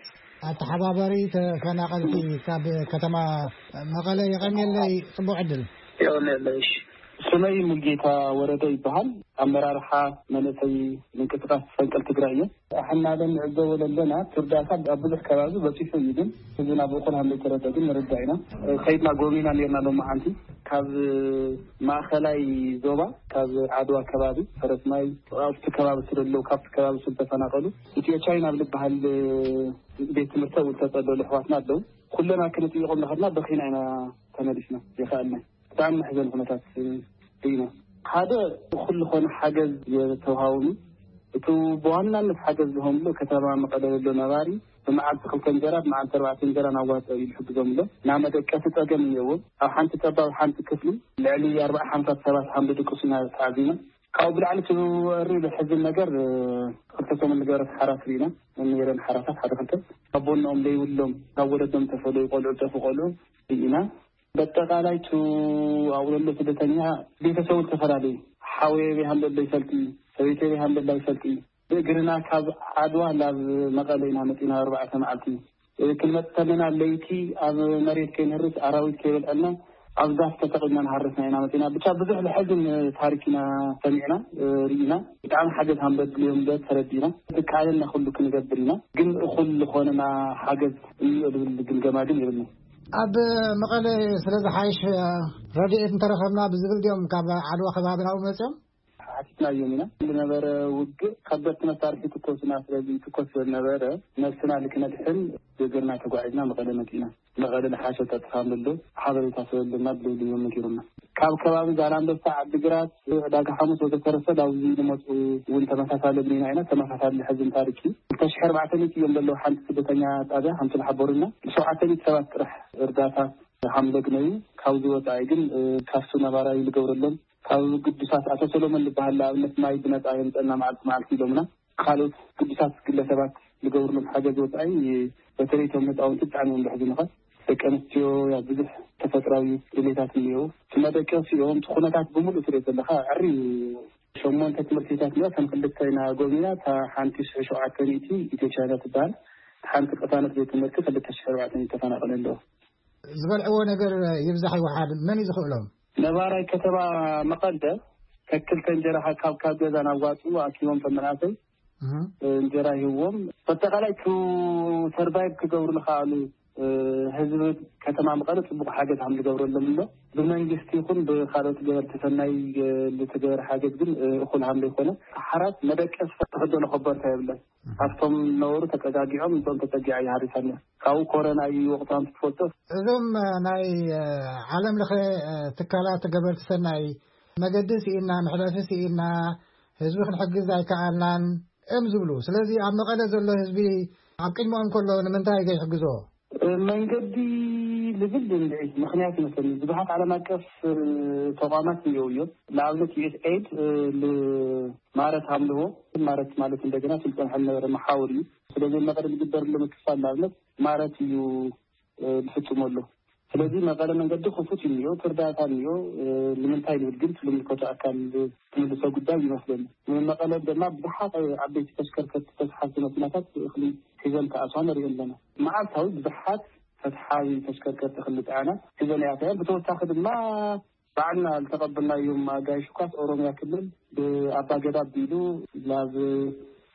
ኣተሓባባሪ ተፈናቐልቲ ካብ ከተማ መቐለ፣ የቐንየለይ። ጽቡቕ ዕድል። የቐንየለይ። እሺ። ስመይ ሙልጌታ ወረደ ይበሃል። ኣመራርሓ መንእሰይ ምንቅስቃስ ፈንቅል ትግራይ እየ። ኣሕናለ ንዕዘቦ ዘለና እቲ እርዳታ ኣብ ብዙሕ ከባቢ በፂሑ እዩ፣ ግን ህዝብና ብእኹል ሃም ዘይተረደ ግን ንርዳእ ኢና። ከይድና ጎብኒና ነርና ሎማዓንቲ። ካብ ማእኸላይ ዞባ፣ ካብ ዓድዋ ከባቢ፣ ፈረስማይ፣ ኣብቲ ከባቢ ስለለዉ፣ ካብቲ ከባቢ ስለተፈናቐሉ፣ ኢትዮ ቻይና ኣብ ዝበሃል ቤት ትምህርቲ እውን ዝተፀለሉ ኣሕዋትና ኣለዉ። ኩለና ክንጥይቖም እናኸድና በኺና ኢና ተመሊስና። ይኸኣልና። ብጣዕሚ መሕዘኒ ኩነታት ኢና። ሓደ፣ እኹል ዝኾነ ሓገዝ የተውሃቡኒ። እቲ ብዋናነት ሓገዝ ዝሆምሉ ከተማ መቐለ ዘሎ ነባሪ ብመዓልቲ ክልተ እንጀራ፣ ብመዓልቲ ኣርባዕተ እንጀራ እናዋፀኡ እዩ ዝሕግዞም ኣሎ። ናይ መደቀሲ ፀገም እኒኦዎም። ኣብ ሓንቲ ጠባብ ሓንቲ ክፍሊ ልዕሊ ኣርባዓ ሓምሳ ሰባት ሃም ዝድቅሱ ኢና ተዓዚብና። ካብኡ ብላዕሊ እቲ ወሪ ዝሕዝን ነገር፣ እ፣ ክልተ ሰሙን ዝገበረት ሓራት ርኢና። ነይረን ሓራታት ሓደ ክልተ ካብ ቦኖኦም ዘይብሎም፣ ካብ ወለዶም ተፈለዩ ቆልዑ፣ ዝጠፉ ቆልዑ ርኢና። በጠቓላይ ቱ ኣብኡ ዘሎ ስደተኛ ቤተሰቡ ዝተፈላለዩ፣ ሓወየ በይ ሃም ዘሎ ይፈልጢ፣ ሰበይተይ በይ ሃም ዘላ ይፈልጢ። ብእግርና ካብ ዓድዋ ናብ መቐለ ኢና መፂና፣ ኣርባዕተ መዓልቲ። ክንመፅእ ከለና ለይቲ ኣብ መሬት ከይንህርስ፣ ኣራዊት ከይበልዐልና፣ ኣብ ዛፍ ተሰቒልና ንሃርስና ኢና መፂና። ብቻ ብዙሕ ዘሕዝን ታሪክ ኢና ሰሚዕና፣ ርኢና። ብጣዕሚ ሓገዝ ሃም ዘድልዮም ዘ ተረዲእና። ተቃለልና ኩሉ ክንገብር ኢና፣ ግን እኹል ዝኾነና ሓገዝ እኒኦ ዝብል ግምገማ ግን የብልና። ኣብ መቐለ ስለ ዝሓይሽ ረድኤት እንተረኸብና ብዝብል ድዮም ካብ ዓድዋ ከባቢ ናብኡ መፅኦም? ሓቲትናዮም ኢና። ዝነበረ ውግእ ከበድቲ መሳርሒ ትኮሱና፣ ስለዚ ትኮስ ስለዝነበረ ነብስና ልክነድሕን ብእግርና ተጓዒዝና መቐለ መፂና። መቐለ ዝሓሸ ጸጥታ ኣሎ፣ ሓበሬታ ስለለና ብልብልዮም ነጊሮምና። ካብ ከባቢ ዛላንበሳ፣ ዓዲግራት፣ ዕዳጋ ሓሙስ ወዘተረፈ ናብዚ ዝመፁ እውን ተመሳሳሊ ብኒና ኢና። ተመሳሳሊ ሕዝን ታሪክ እዩ። ክልተ ሽሕ ኣርባዕተ ሚእቲ እዮም ዘለዉ ሓንቲ ስደተኛ ጣብያ፣ ከምቲ ዝሓበሩና። ሸውዓተ ሚእቲ ሰባት ጥራሕ እርዳታ ሓምለግ ነዩ። ካብዚ ወፃኢ ግን፣ እ፣ ካብቲ ነባራዊ ዝገብረሎም ካብ ግዱሳት ኣቶ ሰሎሞን ዝበሃል ንኣብነት ማይ ብነፃ የምፀና መዓልቲ መዓልቲ ኢሎምና። ካልኦት ግዱሳት ግለሰባት ዝገብርሎም ሓገዝ ወፃኢ በተለይ እቶም ህፃውንቲ ብጣዕሚ እዮም ዘሕዝኑኻ። ደቂ ኣንስትዮ ያ ብዙሕ ተፈጥራዊ ድሌታት እኒኦ። እቲ መደቀሲኦም እቲ ኩነታት ብምሉእ ትሪኦ ዘለኻ ዕሪ እዩ። ሸሞንተ ትምህርቲ ቤታት እኒኦ፣ ከም ክልተ ኢና ጎብኒና። እታ ሓንቲ ሽሕ ሸውዓተ ሚእቲ ኢትዮ ቻይና ትበሃል፣ እታ ሓንቲ ቅሳነት ቤት ትምህርቲ ክልተ ሽሕ ኣርባዕተ ሚእቲ ተፈናቐለ ኣለዎ። ዝበልዕዎ ነገር ይብዛሕ ይወሓድ መን እዩ ዝኽእሎም? ነባራይ ከተማ መቐለ ከክልተ እንጀራ ካብ ካብ ገዛ ናብ ዋፅኡ ኣኪቦም ተመናሰይ እህ። እንጀራ ይህዎም። በጠቓላይ ቱ ሰርቫይቭ ክገብሩ ዝኸኣሉ፣ እ፣ ህዝቢ ከተማ መቐለ ፅቡቕ ሓገዝ ሃም ዝገብረሎም ኣሎ። ብመንግስቲ ይኹን ብካልኦት ገበርቲ ሰናይ፣ እ፣ ዝተገበረ ሓገዝ ግን፣ እ፣ እኹል ሃም ዘይኮነ፣ ሓራት መደቀስ ተኸደኖ ከበርታ የብለን። ኣብቶም ነበሩ ተጠጋጊዖም፣ እዞም ተጠጊዓ ይሃሪሳና። ካብኡ ኮረና እዩ ወቕቱ ሃም ትፈልጦ። እዞም፣ እ፣ ናይ፣ እ፣ ዓለም ለኸ፣ እ፣ ትካላት ገበርቲ ሰናይ መገዲ ስኢና፣ መሕለፊ ስኢና፣ ህዝቢ ክንሕግዝ ኣይከኣልናን እም ዝብሉ። ስለዚ ኣብ መቐለ ዘሎ ህዝቢ ኣብ ቅድሚኦም ከሎ ንምንታይ ዘይሕግዞ? መንገዲ ዝብል እንድዒ ምኽንያት ይመስለኒ። ብዙሓት ዓለም ኣቀፍ፣ እ፣ ተቋማት እኒአው እዮም። ንኣብነት ዩ ኤስ ኤድ፣ እ፣ ል-፣ ማረት ሃምልዎ፣ ማረት ማለት እንደገና ስልጣን ዝነበረ መሓውር እዩ። ስለዚ መቐለ ዝግበር ዘሎ ምክፋል ንኣብነት ማረት እዩ፣ እ፣ ዝፍጽሞ ኣሎ። ስለዚ መቐለ መንገዲ ክፉት እዩ እኒኦ፣ እቲ እርዳታ እኒኦ፣ እ፣ ንምንታይ ንብል ግን እቲ ዝምልከቶ ኣካል ትምልሶ ጉዳይ ይመስለኒ። መቐለ ድማ ብዙሓት ዓበይቲ ተሽከርከርቲ ተስሓብቲ መኪናታት እኽሊ ሒዘን ክኣትዋ ንሪኦ ኣለና። መዓልታዊ ብዙሓት ተስሓቢ ተሽከርከርቲ እኽሊ ዝፀዓና ሒዘን ይኣትዋ እየን። ብተወሳኺ ድማ ባዕልና ዝተቐበልናዮም ኣጋይሽ እኳስ ኦሮምያ ክልል ብኣባገዳ ኣቢሉ ናብ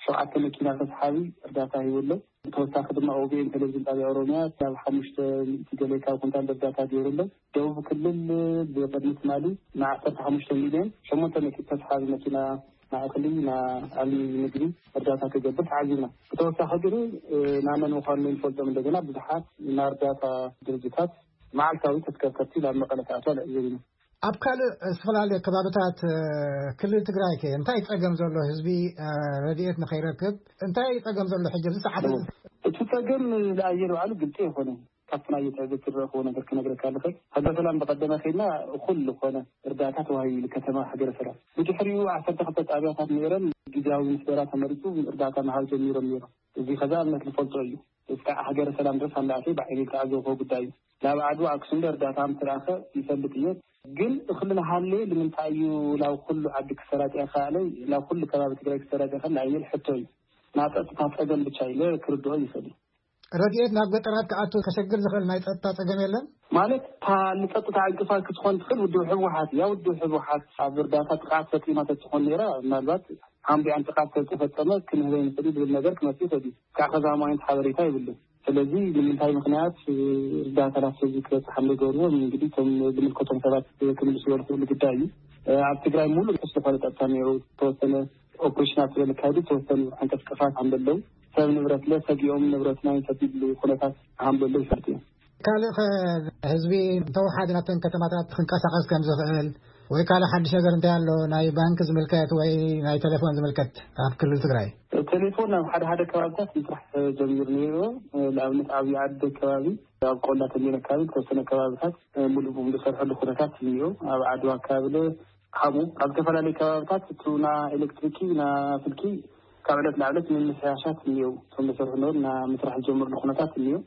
ሸውዓተ መኪና ተስሓቢ እርዳታ ሂቡ ኣሎ። ብተወሳኺ ድማ ኦቢኤን ቴሌቪዥን ጣብያ ኦሮምያ ናብ ሓሙሽተ ሚእቲ ገለ ካብ ኩንታል እርዳታ ገይሩ ኣሎ። ደቡብ ክልል ብቅድሚ ትማሊ ንዓሰርተ ሓሙሽተ ሚልዮን ሸሞንተ ሚእቲ ተስሓቢ መኪና ናይ እኽሊ፣ ናይ ኣልሚ ምግቢ እርዳታ ክገብር ተዓዚብና። ብተወሳኺ ግን፣ እ፣ ናመን ምዃኑ ዘይንፈልጦም እንደገና ብዙሓት ናይ እርዳታ ድርጅታት መዓልታዊ ተሽከርከርቲ ናብ መቐለ ክኣትዋ ንዕዘብ ኢና። ኣብ ካልእ ዝተፈላለየ ከባብታት፣ እ፣ ክልል ትግራይ ከ እንታይ ጸገም ዘሎ ህዝቢ፣ እ፣ ረድኤት ንኸይረክብ እንታይ ጸገም ዘሎ ሕጂ ኣብዚ ሰዓት እዚ? እቲ ጸገም ንኣየር ባዕሉ ግልጺ ኣይኮነን። ኣብቲ ናይ ትዕዝብቲ ዝረእኽዎ ነገር ክነግረካ ኣለኸ። ሃገረ ሰላም ብቐደመ ኸይድና እኹል ዝኾነ እርዳታ ተዋሂቡ ኢሉ ከተማ ሃገረ ሰላም። ብድሕሪኡ ዓሰርተ ክልተ ጣብያታት ነይረን፣ ግዜያዊ ምስደራ ተመሪጹ እርዳታ ምሃብ ጀሚሮም ነይሮም። እዚ ኸዛ እምነት ዝፈልጦ እዩ። እስካዕ ሃገረ ሰላም ድረስ ኣላእተይ ብዓይኒ ዝተዓዘብክዎ ጉዳይ እዩ። ናብ ዓድዋ ኣክሱም ዶ እርዳታ ምትረኣኸ ይፈልጥ እየ። ግን እኽሊ ናሃለየ ንምንታይ እዩ ናብ ኩሉ ዓዲ ክሰራጨ ይኸኣለ፣ ናብ ኩሉ ከባቢ ትግራይ ክሰራጨ ይኸኣለ ኣይብል ሕቶ እዩ። ናብ ጸጥታ ጸገም ብቻ ኢለ ክርድኦ ይኽእል እዩ። ረድኤት ናብ ገጠራት ክኣቱ ከሸግር ዝኽእል ናይ ጸጥታ ጸገም የለን? ማለት፣ እታ ንጸጥታ ዕንቅፋት ክትኾን ትኽእል ውድብ ህወሓት እያ። ውድብ ህወሓት ኣብ እርዳታ ጥቕዓት ፈጺማ ተትኾን ነይራ፣ ምናልባት ሓምቢኣን ጥቕዓት ተተፈጸመ ክንህበ ንኽእል ዝብል ነገር ክመጽእ ይኽእል እዩ። ካብ ከዛ ማይንት ሓበሬታ ይብልን። ስለዚ ንምንታይ ምኽንያት፣ እ፣ እርዳታ ናብ ህዝቢ ክበጽሕ ከም ዘይገበርዎ እንግዲህ እቶም ዝምልከቶም ሰባት ክምልስዎ ዝኽእሉ ጉዳይ እዩ። እ፣ ኣብ ትግራይ ሙሉእ ርሑስ ዝኾነ ጸጥታ ነይሩ። ዝተወሰነ ኦፕሬሽናት ስለ ዝካየዱ ዝተወሰኑ ዕንቅስቃሳት ከም ዘለዉ፣ ሰብ ንብረትለ ሰጊኦም ንብረትና ይንሰድ ዝብሉ ኩነታት ከም ዘለዉ ይፈልጡ እዮም። ካልእ ከ ህዝቢ እንተወሓደ ናብተን ከተማታት ክንቀሳቐስ ከም ዝኽእል ወይ ካልእ ሓድሽ ነገር እንታይ ኣሎ? ናይ ባንክ ዝምልከት ወይ ናይ ቴሌፎን ዝምልከት ኣብ ክልል ትግራይ? ቴሌፎን ኣብ ሓደ ሓደ ከባቢታት ምስራሕ ጀሚሩ ነይሩ። ንኣብነት ኣብ ዓዲ ከባቢ፣ ኣብ ቆላ ተንቤን ኣካባቢ ዝተወሰነ ከባቢታት ሙሉእ ብሙሉእ ዝሰርሐሉ ኩነታት እኒኦ። ኣብ ዓድዋ ኣካባቢ ለ ሓሙ ኣብ ዝተፈላለዩ ከባቢታት እቲ ና ኤሌክትሪኪ ና ስልኪ ካብ ዕለት ናብ ዕለት ምምሕያሻት እኒኦ። እቶም ዝሰርሑ ነበሩ ና ምስራሕ ዝጀመርሉ ኩነታት እኒኦ።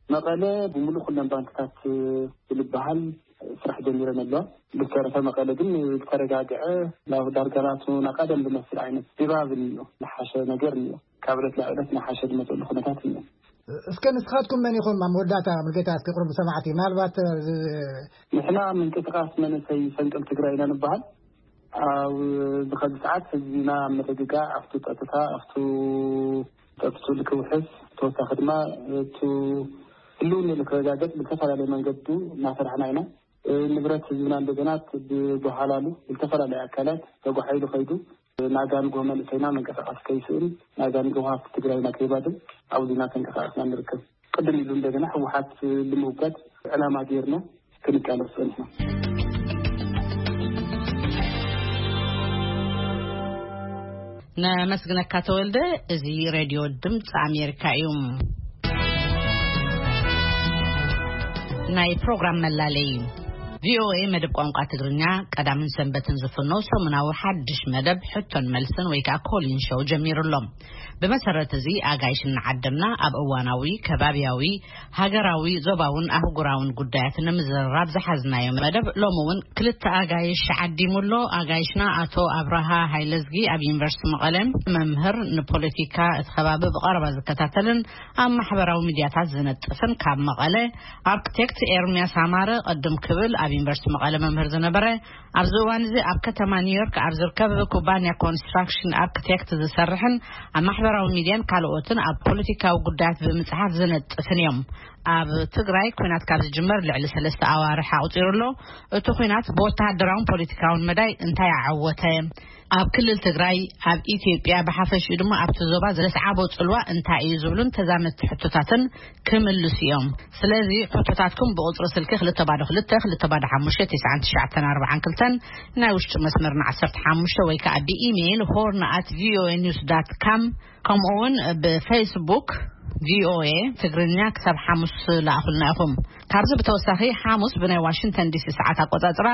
መቐለ ብምሉእ ኩለን ባንክታት ዝልበሃል ስራሕ ጀሚረን ኣለዋ። ብዝተረፈ መቐለ ግን ዝተረጋግዐ ናብ ዳርጋ ናቱ ና ቀደም ዝመስል ዓይነት ድባብ እኒኦ፣ ዝሓሸ ነገር እኒኦ። ካብ ዕለት ናብ ዕለት እናሓሸ ዝመፅሉ ኩነታት እኒኦ። እስከ ንስኻትኩም መን ኢኹም? ኣብ መወዳእታ፣ ሙሉጌታ፣ እስኪ ቁሩብ ሰማዕቲ፣ ምናልባት፣ እ፣ ንሕና ምንቅስቃስ መንእሰይ ፈንቅል ትግራይ ኢና ንበሃል። ኣብ ዝኸዚ ሰዓት ህዝቢና ኣብ ምርግጋእ፣ ኣብቱ ጸጥታ፣ ኣብቱ ጸጥቱ ልክውሕስ፣ ተወሳኺ ድማ እቱ ህልውና ልክረጋገጽ ብዝተፈላለየ መንገዱ እናሰርሕና ኢና። ንብረት ህዝብና እንደገና ብጓሓላሉ ዝተፈላለዩ ኣካላት ተጓሒሉ ከይዱ፣ ናጋ ንግሆ መንእሰይና መንቀሳቐሲ ከይስእን፣ ናጋ ንግሆ ሃፍቲ ትግራይና ከይባድም ኣብዚ እናተንቀሳቐስና ንርከብ። ቅድም ኢሉ እንደገና ህወሓት ንምውጋድ ዕላማ ጌርና ክንቃለስ ጸኒሕና። ነመስግነካ ተወልደ። እዚ ሬድዮ ድምፂ ኣሜሪካ እዩ። ናይ ፕሮግራም መላለይ። ቪኦኤ መደብ ቋንቋ ትግርኛ ቀዳምን ሰንበትን ዝፍኖ ሰሙናዊ ሓድሽ መደብ ሕቶን መልስን ወይ ከዓ ኮሊን ሾው ጀሚሩ ኣሎ። ብመሰረት እዚ ኣጋይሽ እናዓደምና ኣብ እዋናዊ፣ ከባብያዊ፣ ሃገራዊ፣ ዞባውን ኣህጉራውን ጉዳያት ንምዝርራብ ዝሓዝናዮ መደብ ሎሚ እውን ክልተ ኣጋይሽ ዓዲሙ ኣሎ። ኣጋይሽና ኣቶ ኣብርሃ ሃይለዝጊ ኣብ ዩኒቨርሲቲ መቐለ መምህር፣ ንፖለቲካ እቲ ከባቢ ብቐረባ ዝከታተልን ኣብ ማሕበራዊ ሚድያታት ዝነጥፍን፣ ካብ መቐለ፣ ኣርክቴክት ኤርሚያስ ኣማረ፣ ቅድም ክብል ኣብ ዩኒቨርሲቲ መቐለ መምህር ዝነበረ፣ ኣብዚ እዋን እዚ ኣብ ከተማ ኒውዮርክ ኣብ ዝርከብ ኩባንያ ኮንስትራክሽን ኣርክቴክት ዝሰርሕን ኣብ ማሕበራዊ ሚድያን ካልኦትን ኣብ ፖለቲካዊ ጉዳያት ብምጽሓፍ ዝነጥፍን እዮም። ኣብ ትግራይ ኲናት ካብ ዝጅመር ልዕሊ ሰለስተ ኣዋርሕ ኣቑጺሩ ኣሎ። እቲ ኲናት ብወተሃደራውን ፖለቲካውን መዳይ እንታይ ኣዓወተ? ኣብ ክልል ትግራይ፣ ኣብ ኢትዮጵያ ብሓፈሽኡ ድማ ኣብቲ ዞባ ዘስዓቦ ጽልዋ እንታይ እዩ ዝብሉን ተዛመድቲ ሕቶታትን ክምልሱ እዮም። ስለዚ ሕቶታትኩም ብቁጽሪ ስልኪ ክልተ ባዶ ክልተ፣ ክልተ ባዶ ሓሙሽተ፣ ትሽዓን ትሽዓተን ኣርባዓን ክልተን፣ ናይ ውሽጢ መስመርና ዓሰርተ ሓሙሽተ ወይ ከዓ ብኢሜይል ሆርን ኣት ቪኦኤ ኒውስ ዳት ካም፣ ከምኡ እውን ብፌስቡክ ቪኦኤ ትግርኛ ክሳብ ሓሙስ ለኣኹልና ኢኹም። ካብዚ ብተወሳኺ ሓሙስ ብናይ ዋሽንግተን ዲሲ ሰዓት ኣቆጻጽራ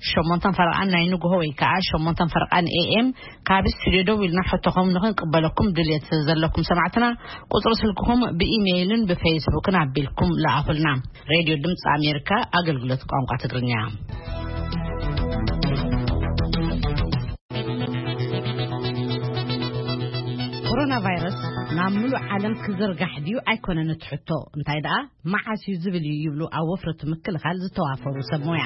ሸሞንተን ፈረቓን ናይ ንግሆ ወይ ከዓ ሸሞንተን ፈረቓን ኤ ኤም ካብ ስቱዲዮ ደው ኢልና ሕቶኹም ንኽንቅበለኩም ድልየት ዘለኩም ሰማዕትና ቁጽሪ ስልክኹም ብኢሜይልን ብፌስቡክን ኣቢልኩም ለኣኹልና። ሬድዮ ድምፂ ኣሜሪካ ኣገልግሎት ቋንቋ ትግርኛ። ኮሮና ቫይረስ ናብ ምሉእ ዓለም ክዝርጋሕ ድዩ ኣይኮነን እቲ ሕቶ፣ እንታይ ደኣ መዓስ እዩ ዝብል እዩ ይብሉ ኣብ ወፍሪ እቲ ምክልኻል ዝተዋፈሩ ሰብ ሞያ።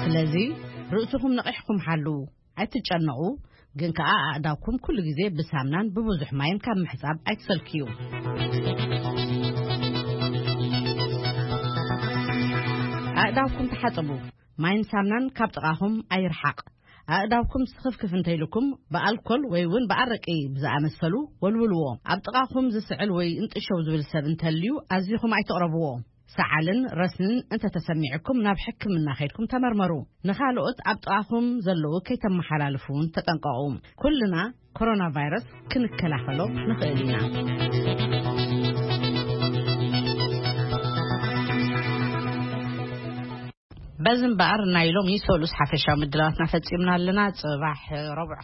ስለዚ ርእስኹም ነቒሕኩም ሓልዉ፣ ኣይትጨነቑ፣ ግን ከኣ ኣእዳውኩም ኩሉ ግዜ ብሳምናን ብብዙሕ ማይን ካብ ምሕጻብ ኣይትሰልክዩ። ኣእዳውኩም ተሓጸቡ፣ ማይን ሳምናን ካብ ጥቓኹም ኣይርሓቕ። ኣእዳውኩም ስኽፍክፍ እንተኢልኩም ብኣልኮል ወይ እውን ብኣረቂ ብዝኣመሰሉ ወልውልዎ። ኣብ ጥቓኹም ዝስዕል ወይ እንጥሸው ዝብል ሰብ እንተልዩ ኣዚኹም ኣይትቕረብዎ። ሰዓልን ረስንን እንተተሰሚዕኩም ናብ ሕክምና ከይድኩም ተመርመሩ። ንኻልኦት ኣብ ጥቓኹም ዘለዉ ከይተመሓላልፉ እውን ተጠንቀቑ። ኩልና ኮሮና ቫይረስ ክንከላኸሎ ንኽእል ኢና። በዚ እምበኣር ናይ ሎሚ ሰሉስ ሓፈሻዊ ምድላዋትና ፈጺምና ኣለና። ጽባሕ ረቡዕ